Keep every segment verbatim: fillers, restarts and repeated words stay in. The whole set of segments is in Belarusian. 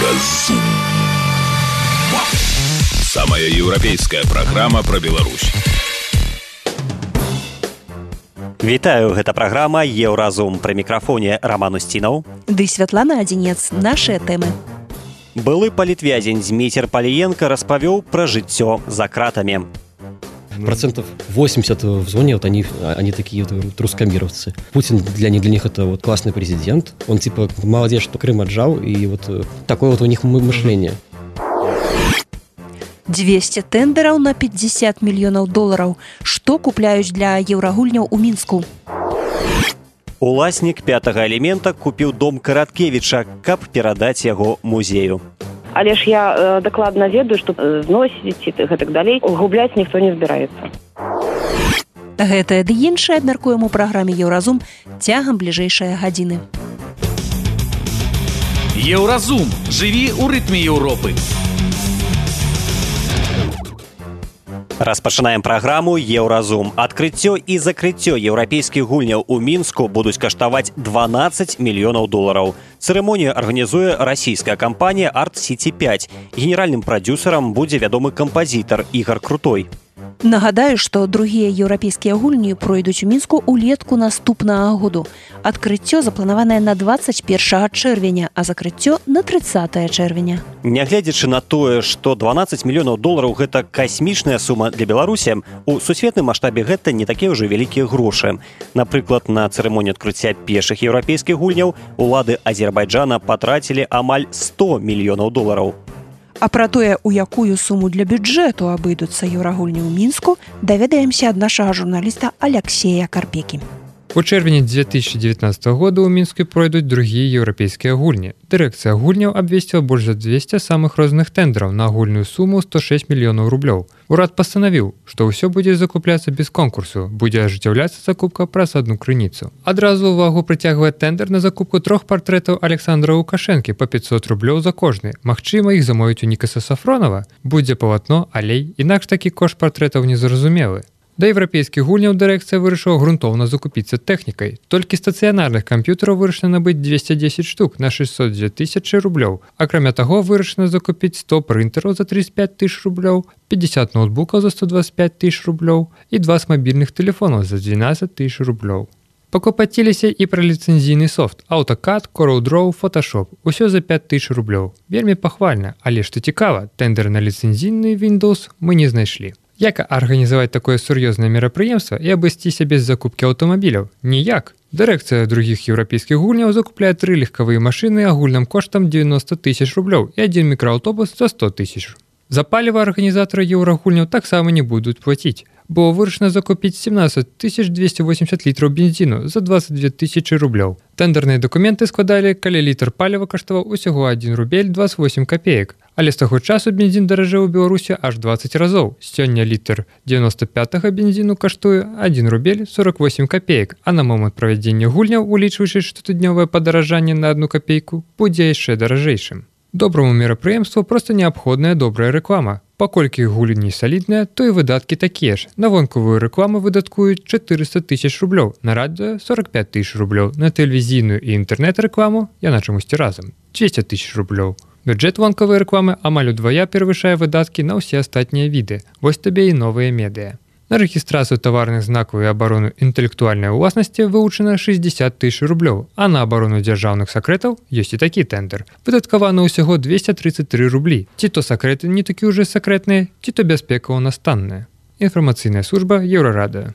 Еўразум. Самая еўрапейская праграма пра Беларусь. Вітаю, гэта праграма Еўразум. Пры мікрафоне Роман Устінаў. Ды Святлана Адзінец. Нашыя тэмы. Былы палітвязень Змейцер Паліенка распавёў пра жыццё за кратамі. Процентов восемьдесят в зоне, вот они, они такие вот трускомировцы. Путин для них, для них это вот классный президент. Он типа молодец, что Крым отжал, и вот такое вот у них мышление. двести тендераў на пятьдесят мільёнаў долараў. Што купляюць для еўрагульняў у Мінску? Уласнік пятага элемента купіў дом Караткевіча, каб перадаць яго музею. Але ж я э, дакладна ведаю, што зносіць і гэтак далей губляць ніхто не збіраецца. Гэтае ды іншае абмяркуем у праграме Еўразум цягам бліжэйшай гадзіны. Еўразум. Жыві ў рытме Еўропы. Распачынаем праграму Еўразум. Адкрыццё і закрыццё еўрапейскіх гульняў у Мінску будуць каштаваць дванаццаць мільёнаў долараў. Цырымонію арганізуе расійская кампанія Арт Сіці пяць. Генеральным прадзюсарам будзе вядомы кампазітар Ігар Крутой. Нагадаю, што другія еўрапейскія гульні пройдуць у Мінску ўлетку наступнага году. Адкрыццё запланаванае на дваццаць першага чэрвеня, а закрыццё на трыццатага чэрвеня. Нягледзячы на тое, што дванаццаць мільёнаў долараў гэта касмічная сума для Беларусі, у сусветным маштабе гэта не такія ўжо вялікія грошы. Напрыклад, на цырымонію адкрыцця першых еўрапейскіх гульняў улады Азербайджана патрацілі амаль сто мільёнаў долараў. А пра тое, у якую суму для бюджэту абыдуцца еўрагульні ў Мінску, даведаемся ад нашага журналіста Аляксея Карпекі. У чэрвені две тысячи девятнадцатого года ў Мінску пройдуць другія еўрапейскія гульні. Дырэкцыя гульняў абвесціла больш за двести самых розных тэндараў на агульную суму сто шесть мільёнаў рублёў. Урад пастанавіў, што ўсё будзе закупляцца без конкурсу, будзе ажыццяўляцца закупка праз адну крыніцу. Адразу ўвагу прыцягвае тэндар на закупку трох партрэтаў Александра Лукашэнкі па пятьсот рублёў за кожны. Магчыма, іх замовіць у Нікаса Сафронова. Будзе палатно, алей, інакш такі кошт партрэтаў незразумелы. Да еўрапейскіх гульняў дырэкцыя вырашыла грунтоўна закупіцца тэхнікай. Толькі стацыянарных камп'ютараў вырашана набыць двести десять штук на шестьсот две тысячи рублёў. Акрамя таго, вырашана закупіць сто прынтэраў за тридцать пять тысяч рублёў, пятьдесят ноутбукаў за сто двадцать пять тысяч рублёў і двадцать мабільных тэлефонаў за двенадцать тысяч рублёў. Пакупаціліся і пра ліцэнзійны софт AutoCAD, CorelDRAW, Photoshop. Усё за пять тысяч рублёў. Вельмі пахвальна, але што цікава, тендер на ліцэнзійны Windows мы не знайшлі. Як арганізаваць такое сур'ёзнае мерапрыемства і абысціся без закупкі аўтамабіляў? Ніяк. Дырэкцыя другіх еўрапейскіх гульняў закупляе тры легкавыя машыны агульным коштам девяносто тысяч рублёў і адзін мікрааўтобус за сто тысяч. За паліва арганізатары еўрагульняў таксама не будуць плаціць, бо вырашана закупіць семнадцать тысяч двести восемьдесят літраў бензіну за двадцать две тысячи рублёў. Тендерныя дакументы складалі, калі літр паліва каштаваў усяго адзін рубель двадцать восемь копеек. Але з таго часу бензін даражэў у Беларусі аж двадцать разоў. Сёння літр девяносто пятага бензіну каштуе адзін рубель сорок восемь копеек, а на момант правядзення гульняў, улічваючы штотыднёвае падаражанне на одну копейку, будзе яшчэ даражэйшым. Добраму мерапрыемству проста неабходная добрая рэклама. Паколькі гульні салідныя, то і выдаткі такія ж. На вонкавую рэкламу выдаткуюць четыреста тысяч рублёў, на радыё сорок пять тысяч рублёў, на тэлевізійную і інтэрнэт-рэкламу, яна чамусьці разам, двести тысяч рублёў. Бюджэт вонкавай рэкламы амаль удвая перавышае выдаткі на ўсе астатнія віды. Вось табе і новыя медыа. На рэгістрацыю таварных знакаў і абарону інтэлектуальнай уласнасці вылучана шестьдесят тысяч рублёў, а на абарону дзяржаўных сакрэтаў ёсць і такі тендер. Выдаткавана ўсяго двести тридцать три рублі. Ці то сакрэты не такі ўжо сакрэтныя, ці то бяспека ў нас танная. Інфармацыйная служба Еўрарадыё.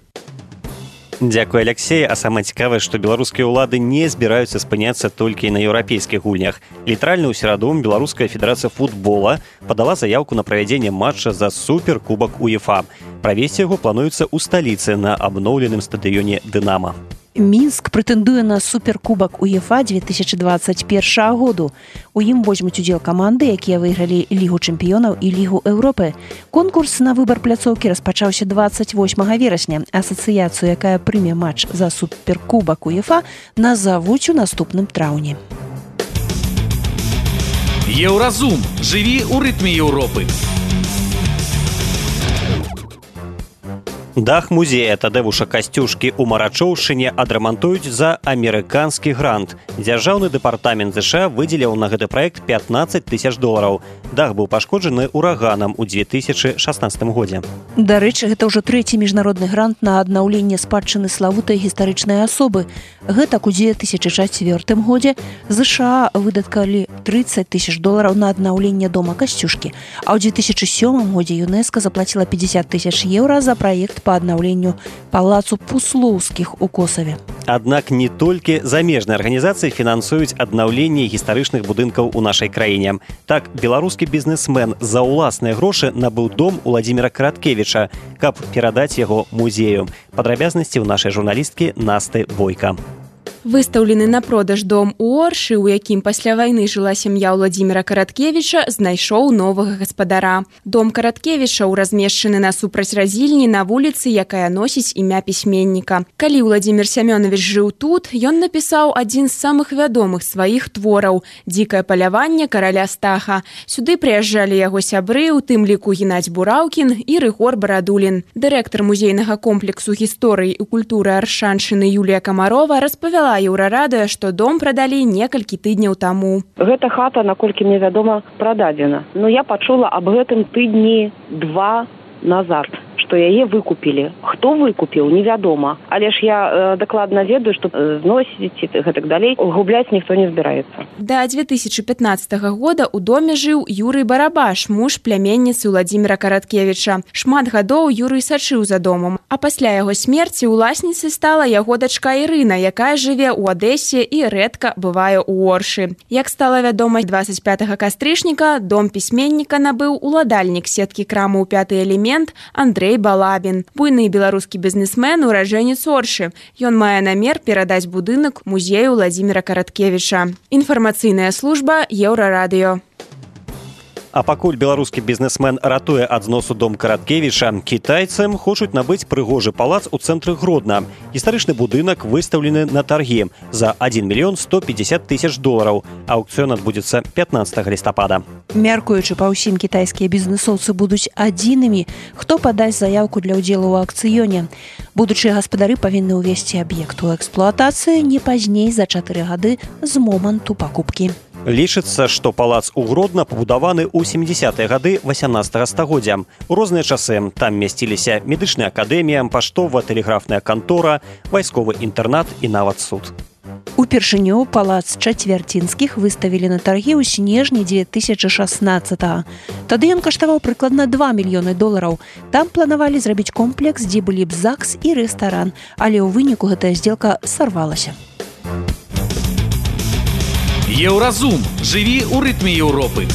Дзякуй, Аляксей. А самае цікавае, што беларускія ўлады не збіраюцца спыняцца толькі на еўрапейскіх гульнях. Літаральна ў сераду Беларуская федэрацыя футбола падала заяўку на правядзенне матча за суперкубак УЕФА. Правесці яго плануецца ў сталіцы на абноўленым стадыёне «Дынама». Мінск прэтэндуе на суперкубак УЕФА две тысячи двадцать первого году. У ім возьмуць удзел каманды, якія выйгралі Лігу чэмпіёнаў і Лігу Еўропы. Конкурс на выбар пляцоўкі распачаўся двадцать восьмага верасня. Асацыяцыю, якая прыме матч за суперкубак УЕФА, назавуць у наступным траўні. Еўразум. Жыві ў рытме Еўропы. Дах музея Тадеуша Касцюшкі ў Марачоўшчыне адрамантуюць за амерыканскі грант. Дзяржаўны дэпартамент ЗША выдзеліў на гэты праект пятнаццаць тысяч долараў. Дах быў пашкоджаны ураганам у две тысячы шаснаццатым годзе. Дарэчы, гэта ўжо трэці міжнародны грант на аднаўленне спадчыны славутай гістарычнай асобы. Гэтак у две тысячы чацвёртым годзе ЗША выдаткалі трыццаць тысяч долараў на аднаўленне дома Касцюшкі, а ў две тысячы сёмым годзе ЮНЕСКО заплаціла пятьдесят тысяч еўра за праект па аднаўленню палацу Пуслоўскіх у Косаве. Аднак не толькі замежныя арганізацыі фінансуюць аднаўленне гістарычных будынкаў у нашай краіне. Так, беларускі бізнесмен за ўласныя грошы набыў дом Уладзіміра Караткевіча, каб перадаць яго музею. Падрабязнасці ў нашай журналісткі Насты Бойка. Выстаўлены на продаж дом у Оршы, у якім пасля вайны жыла сям'я Уладзіміра Караткевіча, знайшоў новага гаспадара. Дом Караткевічаў размешчаны насупраць разільні на вуліцы, якая носіць імя пісьменніка. Калі Уладзімір Сямёнавіч жыў тут, ён напісаў адзін з самых вядомых сваіх твораў «Дзікае паляванне караля Стаха». Сюды прыязджалі яго сябры, у тым ліку Геннадзь Бураўкін і Рыгор Барадулін. Дырэктар музейнага комплексу гісторыі і культуры Аршаншчыны Юлія Камарова распавяла Еўрарадыё, што дом прадалі некалькі тыдняў таму. Гэта хата, наколькі мне вядома, прададзена. Но я пачула аб гэтым тыдні два назад, што яе выкупілі. Хто выкупіў, невядома. Але ж я э, дакладна ведаю, што э, зносіць і гэтак далей губляць ніхто не збіраецца. Да две тысячы пятнаццатага года ў доме жыў Юрый Барабаш, муж пляменніцы Уладзіміра Караткевіча. Шмат гадоў Юрый сачыў за домом, а пасля яго смерці уласніцай стала яго дачка Ірына, якая жыве ў Адэсе і рэдка бывае ў Оршы. Як стала вядома, двадцать пятага кастрычніка дом пісьменніка набыў уладальнік сеткі крамаў «Пяты элемент» Андрей Балабін, буйны беларускі бізнесмен, ураджэнец Оршы. Ён мае намер перадаць будынак музею Уладзіміра Караткевіча. Інфармацыйная служба Еўрарадыё. А пакуль беларускі бізнесмен ратуе ад зносу дом Караткевіча, кітайцам хочуць набыць прыгожы палац у цэнтры Гродна. Гістарычны будынак выстаўлены на таргі за адзін мільён сто пятьдесят тысяч долараў. Аўкцыён адбудзецца пятнаццатага лістапада. Мяркуючы па ўсім, кітайскія бізнесоўцы будуць адзінымі, хто падасць заяўку для ўдзелу ў аўкцыёне. Будучыя гаспадары павінны ўвесці аб'ект у эксплуатацыю не пазней за чатыры гады з моманту пакупкі. Лічыцца, што палац у Гродна пабудаваны ў сямідзясятыя гады васямнаццатага стагоддзя. У розныя часы там мясціліся медычная акадэмія, паштова-тэлеграфная кантора, вайсковы інтэрнат і нават суд. Упершыню палац Чацвярцінскіх выставілі на таргі ў снежні две тысячы шаснаццатага. Тады ён каштаваў прыкладна два мільёны долараў. Там планавалі зрабіць комплекс, дзе былі б ЗАГС і рэстаран, але ў выніку гэтая здзелка сарвалася. Еўразум. Жыві ў рытме Еўропы.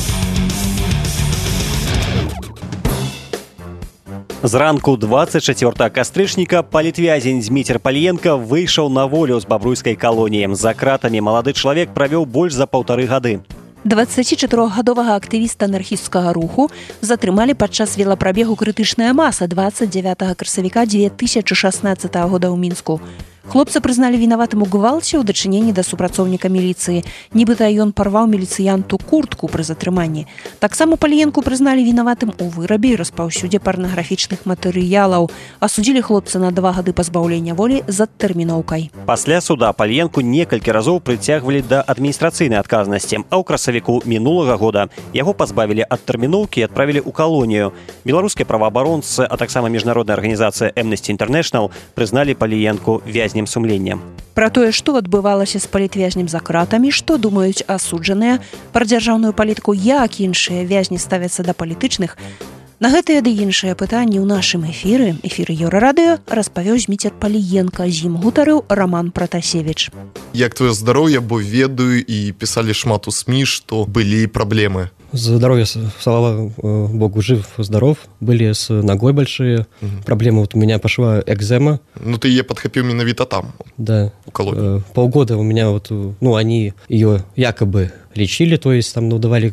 Зранку двадцать чацвёртага кастрычніка палітвязень Зміцер Пальенка выйшаў на волю з бабруйскай калоніі. За кратамі малады чалавек правёў больш за паўтары гады. дваццацічатырохгадовага актывіста анархісцкага руху затрымалі падчас велапрабегу «Крытычная маса» двадцать девятага красавіка две тысячы шаснаццатага года ў Мінску. Хлопца прызналі вінаватым у гвалце ў дачыненні да супрацоўніка міліцыі. Нібыта ён парваў міліцыянту куртку пры затрыманні. Таксама Пальенку прызналі вінаватым у вырабе і распаўсюдзе парнаграфічных матэрыялаў. Асудзілі хлопца на два гады пазбаўлення волі з адтэрміноўкай. Пасля суда Пальенку некалькі разоў прыцягвалі да адміністрацыйнай адказнасці, а ў красавіку мінулага года яго пазбавілі ад тэрміноўкі і адправілі ў калонію. Беларускія праваабаронцы, а таксама міжнародная арганізацыя Amnesty International прызналі Пальенку вязнем сумлення. Пра тое, што адбывалася з палітвязнем за кратамі, што думаюць асуджаныя, пра дзяржаўную палітыку, як іншыя вязні ставяцца да палітычных, на гэтыя ды іншыя пытанні ў нашым эфіры, эфіры Еўрарадыё, распавёў Зміцер Пальенка, з ім гутарыў Роман Пратасевіч. Як твоё здароўе, бо ведаю і пісалі шмат у СМІ, што былі праблемы. Здоровье, слава богу, жив, здоров. Были с ногой большие угу. проблемы. Вот у меня пошла экзема. Ну, ты ее подхопил менавито там, да. У колонии. Полгода у меня вот, ну, они ее якобы лечили, то есть там, ну, давали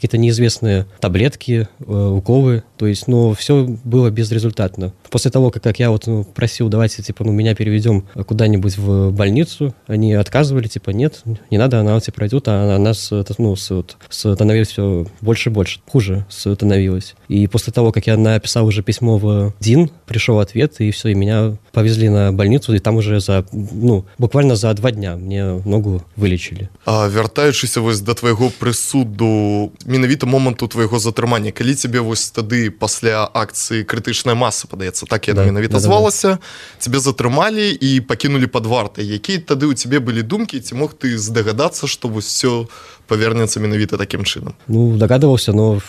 какие-то неизвестные таблетки, уколы, то есть, ну, все было безрезультатно. После того, как, как я вот ну, просил, давайте, типа, ну, меня переведем куда-нибудь в больницу, они отказывали, типа, нет, не надо, она вот пройдет, а она ну, вот, становилась все больше и больше, хуже становилась. И после того, как я написал уже письмо в ДИН, пришел ответ, и все, и меня повезли на больницу, и там уже за, ну, буквально за два дня мне ногу вылечили. А вяртаючыся вось да твайго прысуду, менавіта моманту твайго затрымання, калі тебе вось тады пасля акцыі крытычная маса, падаецца, так яна да, менавіта да, звалася, да, да. Тебе затрымалі і пакінулі пад вартай. Якія тады ў цябе былі думкі, ці мог ты здагадацца, што вось все повернется менавіта таким чином? Ну, догадывался, но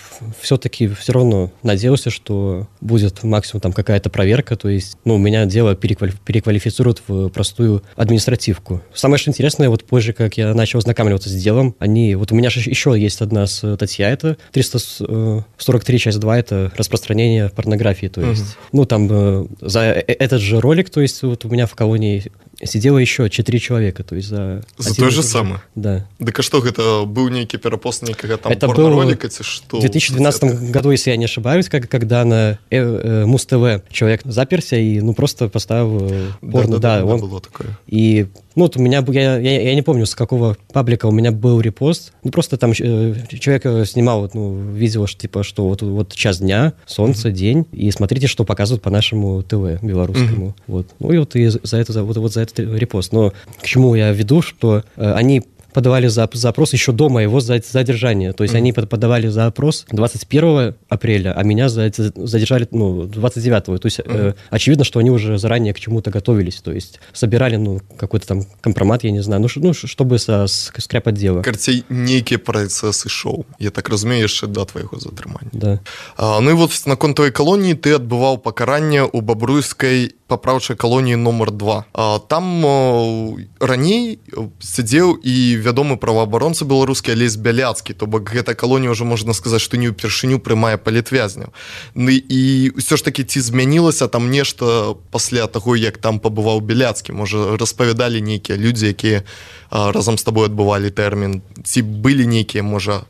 все-таки все равно надеялся, что будет максимум там какая-то проверка, то есть, ну, меня дело переквали... переквалифицируют в простую административку. Самое что интересное, вот позже, как я начал ознакомливаться с делом, они, вот у меня же еще есть одна статья, это триста сорок три часть два, это распространение порнографии, то есть, угу. ну, там за этот же ролик, то есть, вот у меня в колонии сидело еще четыре человека, то есть за... За то же самое? Да. Так а что, это был некий перепост некого там это порно-ролика, что? В две тысячи двенадцатом году, если я не ошибаюсь, как, когда на э, э, Муз-ТВ человек заперся и, ну, просто поставил э, порно. Да, да, да, да, он... было такое. И, ну, вот у меня, я, я, я не помню, с какого паблика у меня был репост, ну, просто там э, человек снимал, ну, видео, что, типа, что вот, вот час дня, солнце, mm-hmm. день, и смотрите, что показывают по нашему ТВ белорусскому. Mm-hmm. Вот. Ну, и вот и за это, вот, вот за этот репост. Но к чему я веду, что э, они подавали запрос еще до моего задержания. То есть mm-hmm. они подавали запрос двадцать первого апреля, а меня задержали ну, двадцать девятого. То есть mm-hmm. э, очевидно, что они уже заранее к чему-то готовились. То есть собирали ну, какой-то там компромат, я не знаю, ну, ну чтобы со, скрепать дело. Карцей некие процессы шоу. Я так разумею, еще до твоего затрымания. Да. А, ну и вот на контовой колонии ты отбывал покарание у Бобруйской поправчай колонии номер два. А, там о, раней сидел и вядомы праваабаронца беларускі Алесь Бяляцкі, то бок гэта калонія ўжо можна сказаць, што не ўпершыню прымае палітвязняў. Ну і ўсё ж такі ці змянілася там нешта пасля таго, як там пабываў Бяляцкі? Можа, распавядалі нейкія людзі, якія а, разам з табой адбывалі тэрмін? Ці былі нейкія, можа,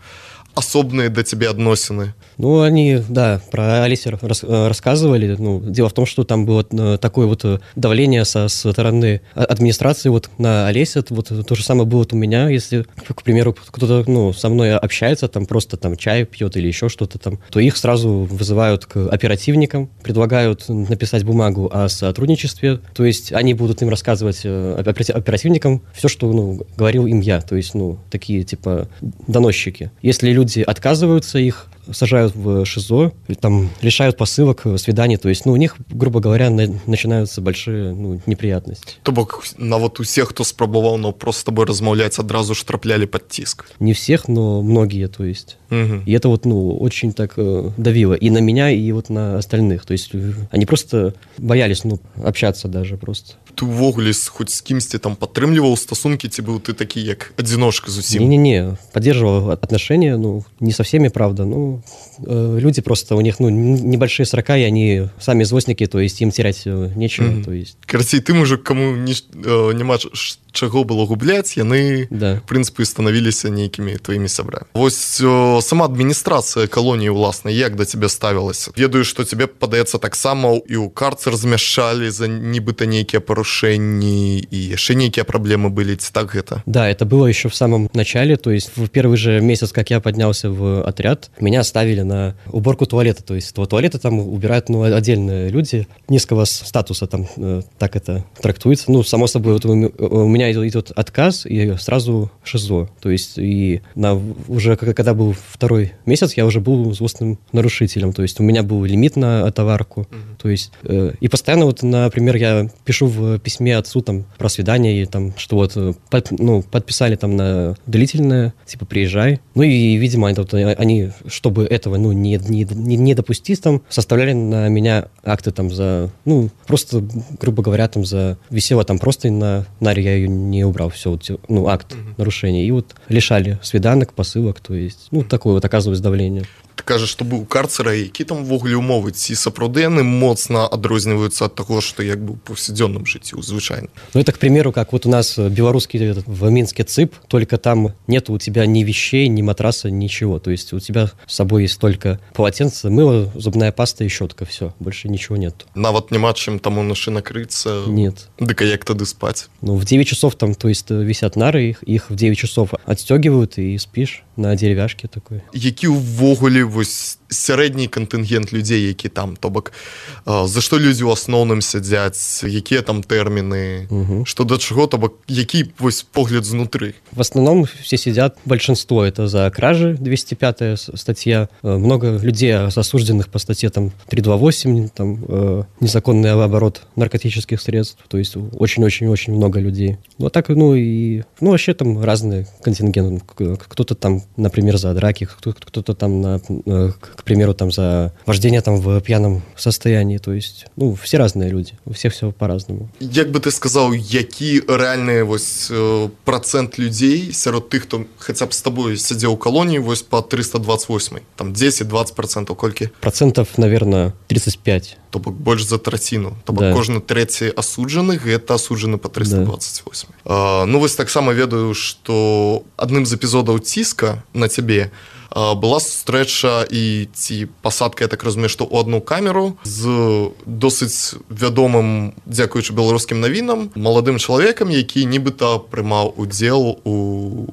особные для тебя относины? Ну, они, да, про Олеся рас, рассказывали. Ну, дело в том, что там было такое вот давление со стороны администрации вот на Олеся. Вот то же самое было вот у меня. Если, к примеру, кто-то ну, со мной общается, там просто там чай пьет или еще что-то там, то их сразу вызывают к оперативникам, предлагают написать бумагу о сотрудничестве. То есть они будут им рассказывать оперативникам все, что ну, говорил им я. То есть, ну, такие типа доносчики. Если люди отказываются, их сажают в ШИЗО, там лишают посылок, свиданий, то есть, ну, у них, грубо говоря, на, начинаются большие ну, неприятности. То бок на вот усех, кто спробовал, но просто с тобой размаўляць, адразу ж трапляли под тиск? Не всех, но многие, то есть. Угу. И это вот, ну, очень так э, давило и на меня, и вот на остальных. То есть они просто боялись, ну, общаться даже просто. Ты увогуле хоть с кимсьці там падтрымліваў стасункі, ці быў ты такі як адзіночка зусім? Не-не-не, поддерживал отношения, ну, не со всеми, правда, ну, э, люди просто, у них, ну, небольшие срока, и они сами извозчики, то есть им терять э, нечего, mm-hmm. то есть. Карацей, тым уже, кому не, э, няма чаго было губляць, яны, да. в прынцыпе, станавіліся нейкімі тваімі сябрамі. Вось э, сама адміністрацыя калоніі, уласна, як да цябе ставілася? Ведаю, што тебе, падаецца, таксама і ў карцер змяшчалі за нібыта нейкія парушэнні, і яшчэ нейкія праблемы былі, ці так гэта? Да, это было еще в самом начале, то есть в первый же месяц, как я поднялся в отряд, меня оставили на уборку туалета, то есть туалеты там убирают ну, отдельные люди низкого статуса, там э, так это трактуется. Ну, само собой, вот у, у меня идет отказ и сразу ШИЗО, то есть и на, уже когда был второй месяц, я уже был злостным нарушителем, то есть у меня был лимит на товарку, mm-hmm. то есть э, и постоянно вот, например, я пишу в письме отцу там про свидание, и там, что вот под, ну, подписали там на длительное, типа приезжай, ну и, видимо, это, вот, они, чтобы этого ну, не, не, не, не допустить, там, составляли на меня акты там за, ну, просто, грубо говоря, там за висело там просто на наре, я ее не убрал, все, вот, ну, акт mm-hmm. нарушения, и вот лишали свиданок, посылок, то есть, ну, такое вот оказывалось давление. Ты кажаш, што быў карцера, які там увогуле умовы, ці сапраўды яны моцна адрозніваюцца ад таго, што як бы ў паўсядзённым жыцці, звычайна. Ну, это, к примеру, как вот у нас белорусский этот, в Минске ЦИП, только там нет у тебя ни вещей, ни матраса, ничего. То есть у тебя с собой есть только полотенце, мыло, зубная паста и щетка, все, больше ничего нет. Нават няма чым там унашы накрыцца? Нет. Дык а як тады спаць? Ну, в девять часов там, то есть висят нары, их, их в девять часов отстегивают и спишь на деревяшке такой. Які ўвогуле вось сярэдні кантынгент людзей, які там, то бок э, за што людзі ў асноўным сядзяць, якія там тэрміны, угу. Што да чаго, то бок які вось погляд знутры? В основном все сидят, большинство это за кражи, двести пятая статья, много людей осужденных по статье там триста двадцать восемь, там э, незаконный оборот наркотических средств, то есть очень-очень-очень много людей. Вот так, ну и, ну вообще там разные контингенты, кто-то там, например, за драки, кто-то там, на, к примеру, там за вождение там в пьяном состоянии, то есть, ну, все разные люди, у всех все по-разному. Як бы ты сказал, які реальный вось процент людей сярод тых, хто хотя бы с тобой сидел у колонии, вось по триста двадцать восемь, там десять-двадцать процентов кольки? Процентов, наверное, тридцать пять. То бок больш за траціну. То бок да. Кожны трэці асуджаны гэта асуджаны па триста двадцать восемь. Да. А, ну вось таксама ведаю, што адным з эпізодаў ціска на цябе была сустрэча і ці пасадка, я так разумею, што ў адну камеру з досыць вядомым, дзякуючы беларускім навінам, маладым чалавекам, які нібыта прымаў удзел у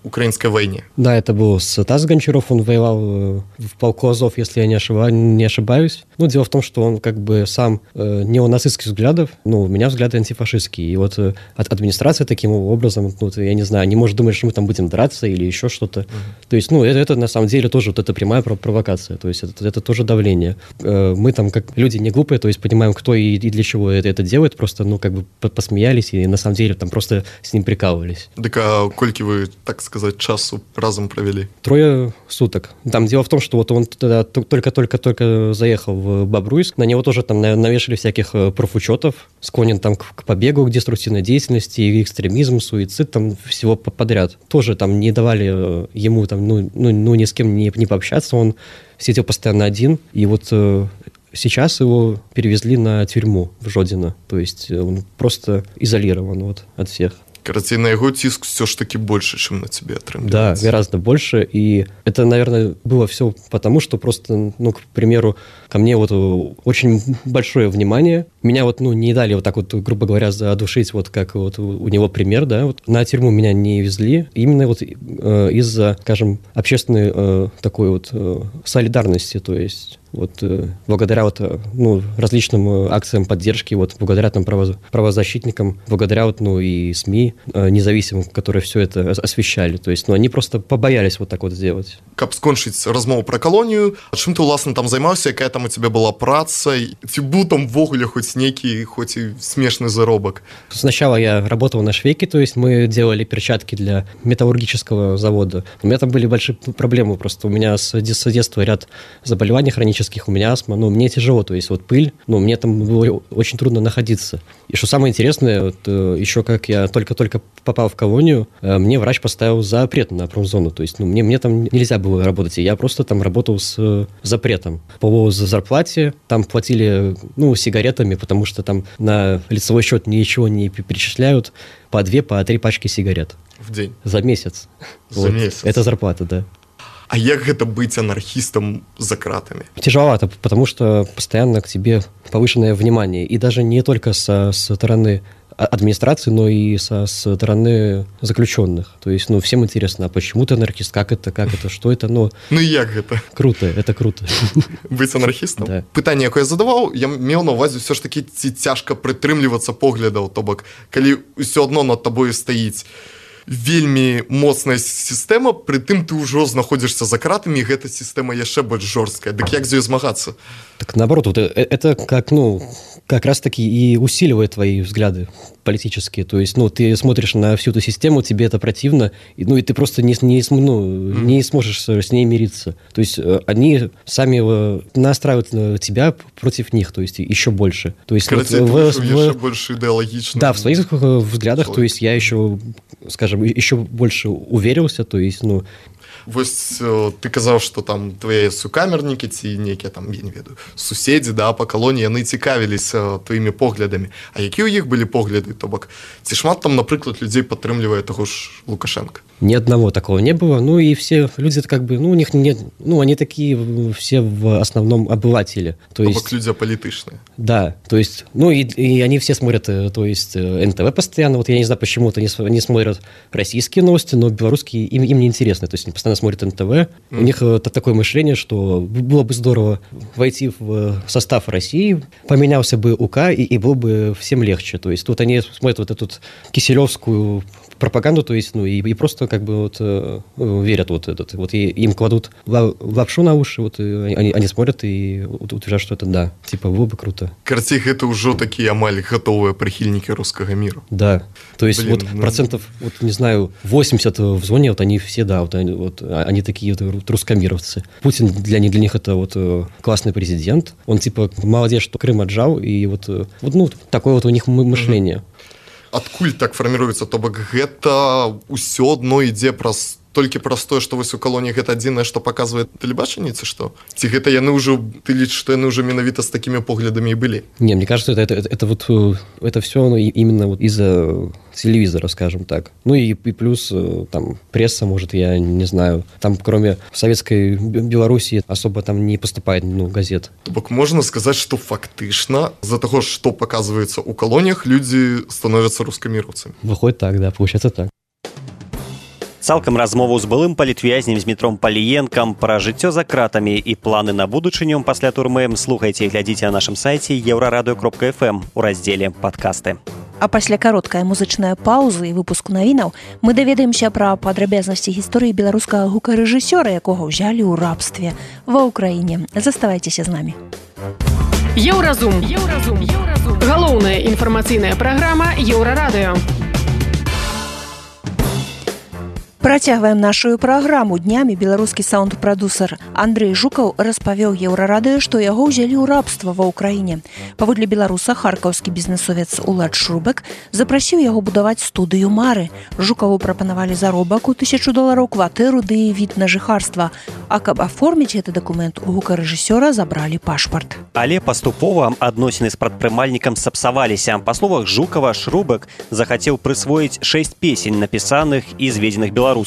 украинской войне. Да, это был Стас Гончаров, он воевал в полку Азов, если я не, ошибаюсь, не ошибаюсь. Ну, дело в том, что он как бы сам э, неонацистских взглядов, ну, у меня взгляды антифашистские. И вот э, администрация таким образом, ну, я не знаю, не может думать, что мы там будем драться или еще что-то. Uh-huh. То есть, ну, это, это на самом деле тоже вот это прямая провокация, то есть это, это тоже давление. Э, мы там как люди не глупые, то есть понимаем, кто и, и для чего это, это делает, просто, ну, как бы посмеялись и на самом деле там просто с ним прикалывались. Так а кольки вы, так сказать, часу разом провели? Трое суток. Там дело в том, что вот он тогда только-только-только заехал в Бобруйск, на него тоже там навешали всяких профучетов, склонен там к, к побегу, к деструктивной деятельности, экстремизм, суицид, там всего подряд. Тоже там не давали ему там, ну, ну, ну ни с кем не, не пообщаться, он сидел постоянно один, и вот э, сейчас его перевезли на тюрьму в Жодино, то есть он просто изолирован вот от всех. Короче, на его тиск все ж таки больше, чем на тебе отрымливается. Да, гораздо больше. И это, наверное, было все потому, что просто, ну, к примеру, ко мне вот очень большое внимание. Меня вот, ну, не дали вот так вот, грубо говоря, задушить, вот как вот у него пример, да. Вот на тюрьму меня не везли. Именно вот э, из-за, скажем, общественной э, такой вот э, солидарности, то есть... Вот э, благодаря вот, ну, различным э, акциям поддержки, вот благодаря там право, правозащитникам, благодаря вот, ну, и СМИ э, независимым, которые все это освещали. То есть, ну, они просто побоялись вот так вот сделать. Каб скончыць размову про колонию, чым ты власна там займаўся, якая там у тебя была праца, ці быў там ввогуле хоть некий, хоть и смешный заробок? Сначала я работал на швейке, то есть мы делали перчатки для металлургического завода. У меня там были большие проблемы, просто у меня с детства ряд заболеваний хронических, у меня астма, ну, мне тяжело, то есть вот пыль, ну, мне там было очень трудно находиться. И что самое интересное, вот, еще как я только-только попал в колонию, мне врач поставил запрет на промзону, то есть, ну, мне, мне там нельзя было работать, и я просто там работал с запретом. По зарплате там платили, ну, сигаретами, потому что там на лицевой счет ничего не перечисляют, по две, по три пачки сигарет. В день? За месяц. За вот. месяц? Это зарплата, да. А як гэта быць анархистом за кратами? Тяжеловато, потому что постоянно к тебе повышенное внимание. И даже не только со стороны администрации, но и со стороны заключенных. То есть, ну, всем интересно, а почему ты анархист, как это, как это, что это, ну... Ну, як гэта? Круто, это круто. Быць анархістам? Да. Пытанне, якое я задаваў, я меў на ўвазе все ж таки ці цяжка прытрымлівацца поглядаў, то бок, калі ўсё адно над табою стаіць вельмі моцная сістэма, прытым ты ўжо знаходзішся за кратамі, і гэта сістэма яшчэ больш жорсткая. Дык як з ёй змагацца? Так наоборот, вот это как, ну, как раз-таки и усиливает твои взгляды политические. То есть, ну, ты смотришь на всю эту систему, тебе это противно, и, ну, и ты просто не, не, ну, mm. не сможешь с ней мириться. То есть, они сами настраивают тебя против них, то есть, еще больше. То есть, Короче, вот, ты в, в, еще больше идеологично. Да, в своих взглядах, человек. То есть, я еще, скажем, скажем, еще больше уверился, то есть, ну, Вось ты казаў, што там твае сукамернікі ці нейкія там, я не ведаю, суседзі, да, па калоніі, яны цікавіліся тваімі поглядамі. А якія ў іх былі погляды? То бок, ці шмат там, напрыклад, людзей падтрымлівае таго ж Лукашенко? Ни одного такого не было. Ну и все люди, как бы, ну у них нет, ну они такие все в основном обыватели. То есть, бок люди аполитичные. Да, то есть, ну и, и они все смотрят, то есть эн тэ вэ постоянно. Вот я не знаю, почему-то они, они смотрят российские новости, но белорусские им, им не интересны. То есть они постоянно смотрят эн тэ вэ. Mm. У них это такое мышление, что было бы здорово войти в состав России, поменялся бы УК, и, и было бы всем легче. То есть тут они смотрят вот эту киселевскую пропаганду, то есть, ну, и, и просто как бы вот э, верят вот этот, вот и, им кладут лапшу на уши, вот они, они смотрят и утверждают, что это да, типа, было бы круто. Карціх, это уже такие амаль готовые прихильники русского мира. Да, то есть, Блин, вот ну... процентов, вот не знаю, восемьдесят в зоне, вот они все, да, вот они, вот, они такие вот русскомировцы. Путин для них, для них это вот классный президент, он типа молодец, что Крым отжал, и вот, вот ну, такое вот у них мышление. Адкуль так фарміруецца, то бок гэта ўсё адно ідзе праз толькі праз тое, што вось у калоніях гэта адзінае, што паказвае тэлебачанне, ці што? Ці гэта яны ўжо, ты лічыш, што яны ўжо менавіта з такімі поглядамі і былі? Не, мне кажется, это, это, это, это вот это все ну, именно вот из-за телевизора, скажем так. Ну и, и плюс там пресса, может, я не знаю, там кроме советской Белоруссии особо там не поступает ну, газет. То бок можна сказаць, што фактычна з-за таго, што паказваецца ў калоніях, людзі становяцца рускаміроўцамі. Выходит так, да, получается так. Цалкам размову з былым палітвязнем Змітром Паліенкам пра жыццё за кратамі і планы на будучыню пасля турмы слухайце і глядзіце на нашым сайце еўрарадыё кропка эф эм у раздзеле «Падкасты». А пасля кароткая музычная пауза і выпуск навінаў мы даведаемся пра падрабязнасці гісторыі беларускага гукарэжысёра, якога ўзялі ў рабстве ва ўкраіне. Заставайцеся з намі. Еўразум. Еўразум. Еўразум. Галоўная інфармацыйная праграма Еўрарадыё. Працягваем нашу праграму. Днямі беларускі саунд-прадусер Андрэй Жукаў распавёў Еўрарадыё, што яго ўзялі ў рабства ва ўкраіне. Паводле беларуса харкаўскі бізнесовец Улад Шрубек запрасіў яго будаваць студыю Мары. Жукаву прапанавалі заробак у тысячу долараў, кватэру ды від на жыхарства. А каб аформіць гэты дакумент, у гукарэжысёра забралі пашпарт. Але паступова адносіны з прадпрымальнікам сапсаваліся. Па словах Жукава, Шрубек захацеў прысвоіць шэсць песень, напісаных і зведзеных беларусам.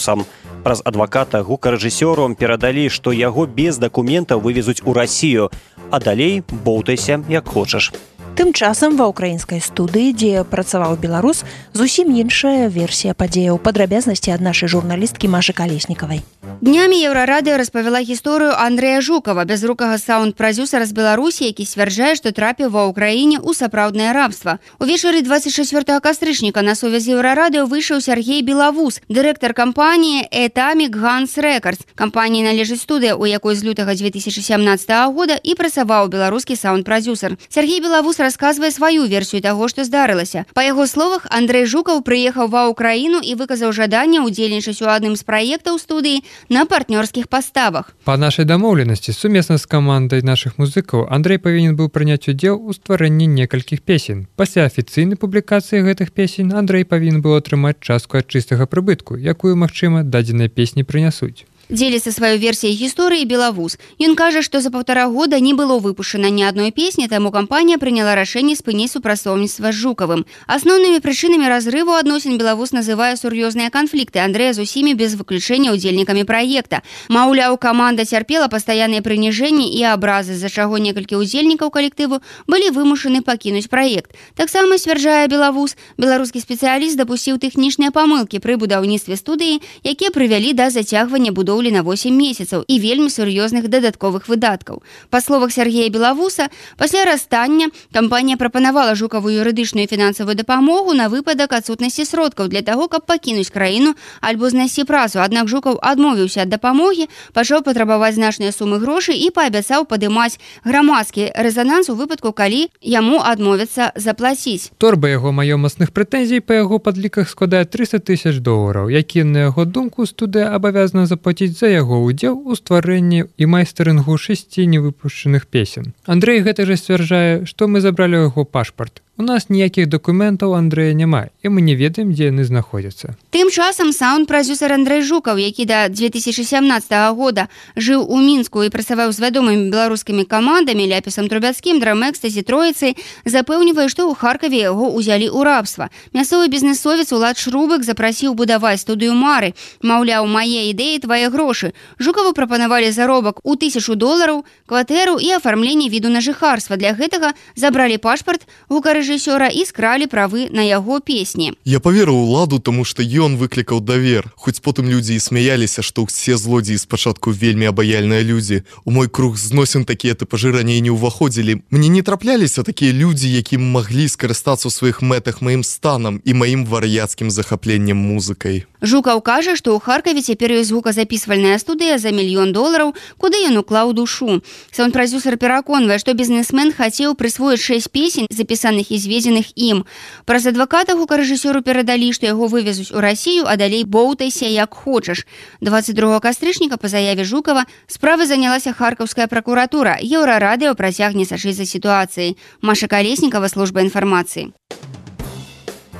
Праз адваката гукарэжысёру перадалі, што яго без дакументаў вывезуць у Расію, а далей боўтайся як хочаш. Тым часам ва ўкраінскай студыі, дзе працаваў беларус, зусім іншая версія падзеяў. Падрабязнасці ад нашай журналісткі Машы Калеснікавай. Днямі Еўрарадыё распавяла гісторыю Андрэя Жукава, бязрукага саунд-прадзюсара з Беларусі, які сцвярджае, што трапіў ва ўкраіне ў сапраўднае рабства. Увечары двадцать чацвёртага кастрычніка на сувязь з Еўрарадыё выйшаў Сергей Белавус, дырэктар кампаніі Atomic Guns Records. Кампаніі належыць студыя, у якой з лютага дзве тысячы сямнаццатага года і працаваў беларускі саунд-прадзюсар. Сергей Белавус расказвае сваю версію таго, што здарылася. Па яго словах, Андрэй Жукаў прыехаў ва ўкраіну і выказаў жаданне ўдзельнічаць у адным з праектаў студыі на партнёрскіх паставах. Па нашай дамоўленасці, сумесна з камандай нашых музыкаў, Андрэй павінен быў прыняць удзел у стварэнні некалькіх песень. Пасля афіцыйнай публікацыі гэтых песень Андрэй павінен быў атрымаць частку ад чыстага прыбытку, якую, магчыма, дадзеныя песні прынясуць. Дзеліцца сваёй версіяй гісторыі Белавус. Ён кажа, што за паўтара года не было выпушчана ні адной песні, таму кампанія прыняла рашэнне спыніць супрацоўніцтва з Жукавым. Асноўнымі прычынамі разрыву адносін Белавус называе сур'ёзныя канфлікты Андрэя з усімі без выключэння ўдзельнікамі праекта. Маўляў, каманда цярпела пастаянныя прыніжэнні і абразы, з-за чаго некалькі ўдзельнікаў калектыву былі вымушаны пакінуць праект. Таксама, сцвярджае Белавус, беларускі спецыяліст дапусціў тэхнічныя памылкі пры будаўніцтве студыі, якія прывялі да зацягвання будоўлі на восемь месяцаў і вельмі сур'ёзных дадатковых выдаткаў. Па словах Сергея Белавуса, пасля расстання кампанія прапанавала Жукаву юрыдычную і фінансавую дапамогу на выпадак адсутнасці сродкаў для таго, каб пакінуць краіну альбо знайсці працу. Аднак Жукаў адмовіўся ад дапамогі, пачаў патрабаваць значныя сумы грошай і паабяцаў падымаць грамадскі рэзананс у выпадку, калі яму адмовяцца заплаціць. Торба яго маёмасных прэтэнзій па яго падліках складае трыста тысяч долараў, які, на яго думку, студыя абавязана заплаціць за яго ўдзел у стварэнні і майстарынгу шасці невыпушчаных песен. Андрэй гэта ж сцвярджае, што мы забралі яго пашпарт. У нас ніякіх дакументаў Андрэя няма, і мы не ведаем, дзе яны знаходзяцца. Тым часам саунд-прадзюсар Андрэй Жукаў, які да две тысячи сямнаццатага года жыў у Мінску і працаваў з вядомымі беларускімі камандамі Ляпісам Трубяцкім, Драмэкстазі, Троіцай, запэўнівае, што ў Харкаве яго ўзялі ў рабства. Мясцовы бізнесовец Улад Шрубык запрасіў будаваць студыю Мары. Маўляў, мае ідэі, твае грошы. Жукаву прапанавалі заробак у тысячу долараў, кватэру і афармленне віду на жыхарства. Для гэтага забралі пашпарт гукарэжысёра і скралі правы на яго песні. Я паверыў Уладу, таму што ён выклікаў давер. Хоць потым людзі і смяяліся, што ўсе злодзеі спачатку вельмі абаяльныя людзі. У мой круг зносін такія тыпажы раней не ўваходзілі. Мне не трапляліся такія людзі, якім маглі скарыстацца ў сваіх мэтах маім станам і маім вар'яцкім захапленнем музыкай. Жукаў кажа, што ў Харкаве цяпер ёсць звуказапісвальная студыя за мільён долараў, куды ён уклаў душу. Саунд-прадзюсар пераконвае, што бізнесмен хацеў прысвоіць шэсць песень, запісаных і зведзеных ім. Праз адваката гукарэжысёру перадалі, што яго вывезуць у Расію, а далей боўтайся як хочаш. дваццаць другога кастрычніка па заяве Жукава справы занялася харкаўская пракуратура. Еўрарадыё працягне сачыць за сітуацыяй. Маша Калеснікава, служба інфармацыі.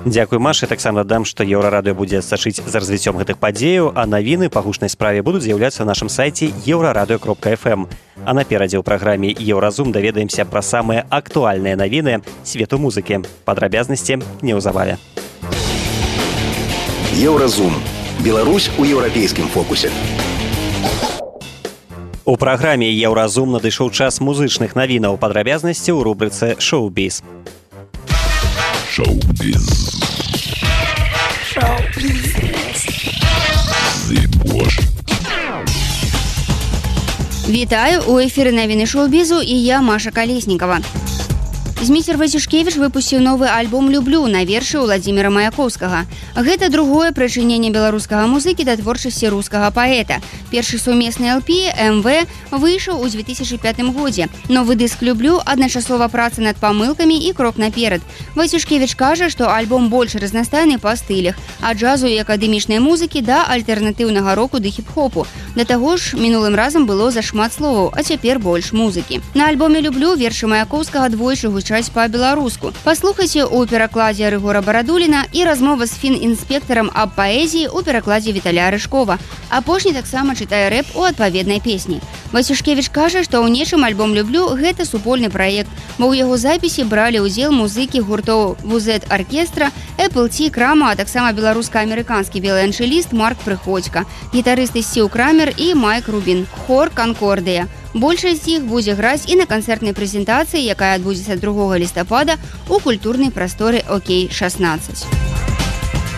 Дзякуй, Маша. Таксама дадам, што Еўрарадыё будзе сачыць за развіццём гэтых падзеяў, а навіны па гучнай справе будуць з'яўляцца на нашым сайце еўрарадыё кропка эф эм. А наперадзе ў праграме «Еўразум» даведаемся пра самыя актуальныя навіны свету музыкі. Падрабязнасці неўзабаве. Еўразум. Беларусь у еўрапейскім фокусе. У праграме «Еўразум» надышоў час музычных навінаў. Падрабязнасці ў рубрыцы «Шоу-біз». Шоу-біз. Шоу-біз. Вітаю, у эфіры навіны шоу-бізу і я, Маша Калеснікава. Зміцер Васюшкевіч выпусціў новы альбом «Люблю» на вершы Уладзіміра Маяковскага. Гэта другое прычыненне беларускага музыкі да творчасці рускага паэта. Першы сумесны эл пі «эм вэ» выйшаў у две тысячи пятым годзе. Новы дыск «Люблю» адначасова праца над памылкамі і крок наперад. Васюшкевіч кажа, што альбом больш разнастайны па стылях, ад джазу і акадэмічнай музыкі да альтэрнатыўнага року ды хіп-хопу. Да таго ж, мінулым разам было зашмат словаў, а цяпер больш музыкі. На альбоме «Люблю» вершы Маяковскага двойчы гучаць па-беларуску. Паслухайце ў перакладзе Рыгора Барадуліна і размова з фін-інспектарам аб паэзіі ў перакладзе Віталя Рыжкова. Апошні таксама чытае рэп у адпаведнай песні. Васюшкевіч кажа, што ў нечым альбом «Люблю» гэта супольны праект, бо ў яго запісе бралі ўдзел музыкі гуртоў «Вузет-аркестра», «Эпл Ті», «Крама», а таксама беларуска-амерыканскі віяланчэліст Марк Прыходзька, гітарысты Сціў Крамер і Майк Рубін, хор «Канкордыя». Большасць з іх будзе граць і на канцэртнай прэзентацыі, якая адбудзецца другога лістапада ў культурнай прасторы «Окей шаснаццаць».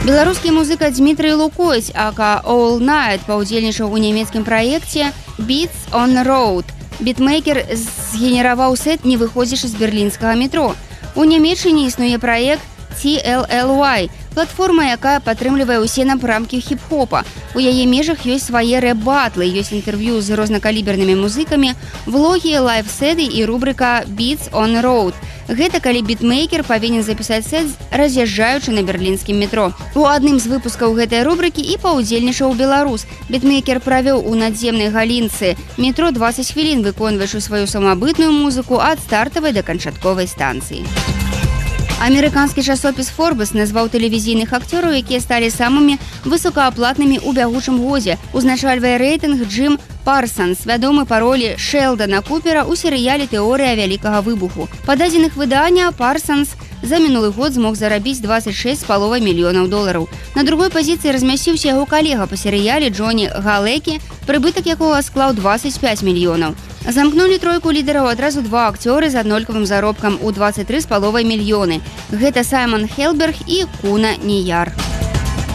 Беларускі музыка Дмітрый Лукойць, ака All Night, паўдзельнічаў у нямецкім праекце «Beats on the Road». Бітмейкер згенераваў сет «Не выходзіш з берлінскага метро». У Нямецчыне існуе праект Ті Эл Эл Уай, платформа, якая падтрымлівае ўсе напрамкі хіп-хопа. У яе межах ёсць свае рэп-батлы, ёсць інтэрв'ю з рознакалібернымі музыкамі, влогі, лайв-седы і рубрыка «Beats on the Road». Гэта калі бітмейкер павінен запісаць сет, раз'язджаючы на берлінскім метро. У адным з выпускаў гэтай рубрыкі і паўдзельнічаў беларус. Бітмейкер правёў у надземнай галінцы метро дваццаць хвілін, выконваючы сваю самабытную музыку ад стартавай да канчатковай станцыі. Амерыканскі часопіс «Форбес» назваў тэлевізійных акцёраў, якія сталі самымі высокааплатнымі ў бягучым годзе. Узначальвае рэйтынг Джим Парсанс, вядомы па ролі Шэлдана Купера ў серыяле «Тэорыя вялікага выбуху». Па дадзеных выдання Парсанс за мінулы год змог зарабіць дваццаць шэсць з паловай мільёнаў долараў. На другой пазіцыі размясціўся яго калега па серыяле Джоні Галекі, прыбытак якога склаў дваццаць пяць мільёнаў. Замкнулі тройку лідараў адразу два акцёры з аднолькавым заробкам у дваццаць тры з паловай мільёны. Гэта Саймон Хелберг і Куна Ніяр.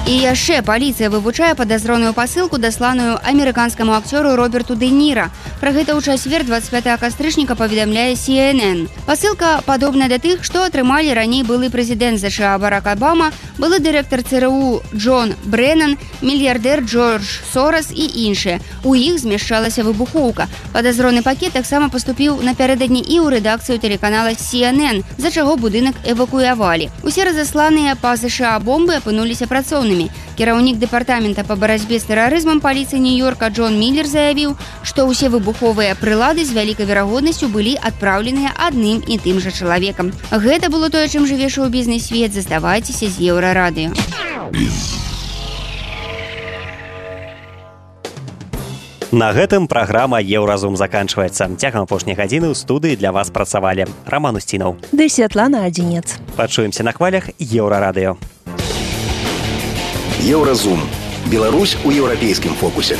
І яшчэ паліцыя вывучае падазроную пасылку, дасланую амерыканскаму акцёру Роберту Дэ Ніра. Пра гэта ў чацвер дваццаць пятага кастрычніка паведамляе Сі Эн Эн. Пасылка падобная да тых, што атрымалі раней былы прэзідэнт ЗША Барак Абама, былы дырэктар Цэ Рэ У Джон Брэнан, мільярдэр Джордж Сорас і іншыя. У іх змяшчалася выбухоўка. Падазроны пакет таксама паступіў напярэдадні і ў рэдакцыю тэлеканала Сі Эн Эн, за чаго будынак эвакуявалі. Усе разасланыя па ЗША бомбы апынуліся працоўнымі. небяспечнымі. Кіраўнік дэпартамента па барацьбе з тэрарызмам паліцыі Нью-Йорка Джон Миллер заявіў, што ўсе выбуховыя прылады з вялікай верагоднасцю былі адпраўленыя адным і тым жа чалавекам. Гэта было тое, чым жыве шоу-бізнес свет. Заставайцеся з Еўрарадыё. На гэтым праграма «Еўразум» заканчваецца. Цягам апошняй гадзіны ў студыі для вас працавалі Раман Устінаў ды Святлана Адзінец. Пачуемся на хвалях Еўрарадыё. Еўразум. Беларусь у еўрапейскім фокусе.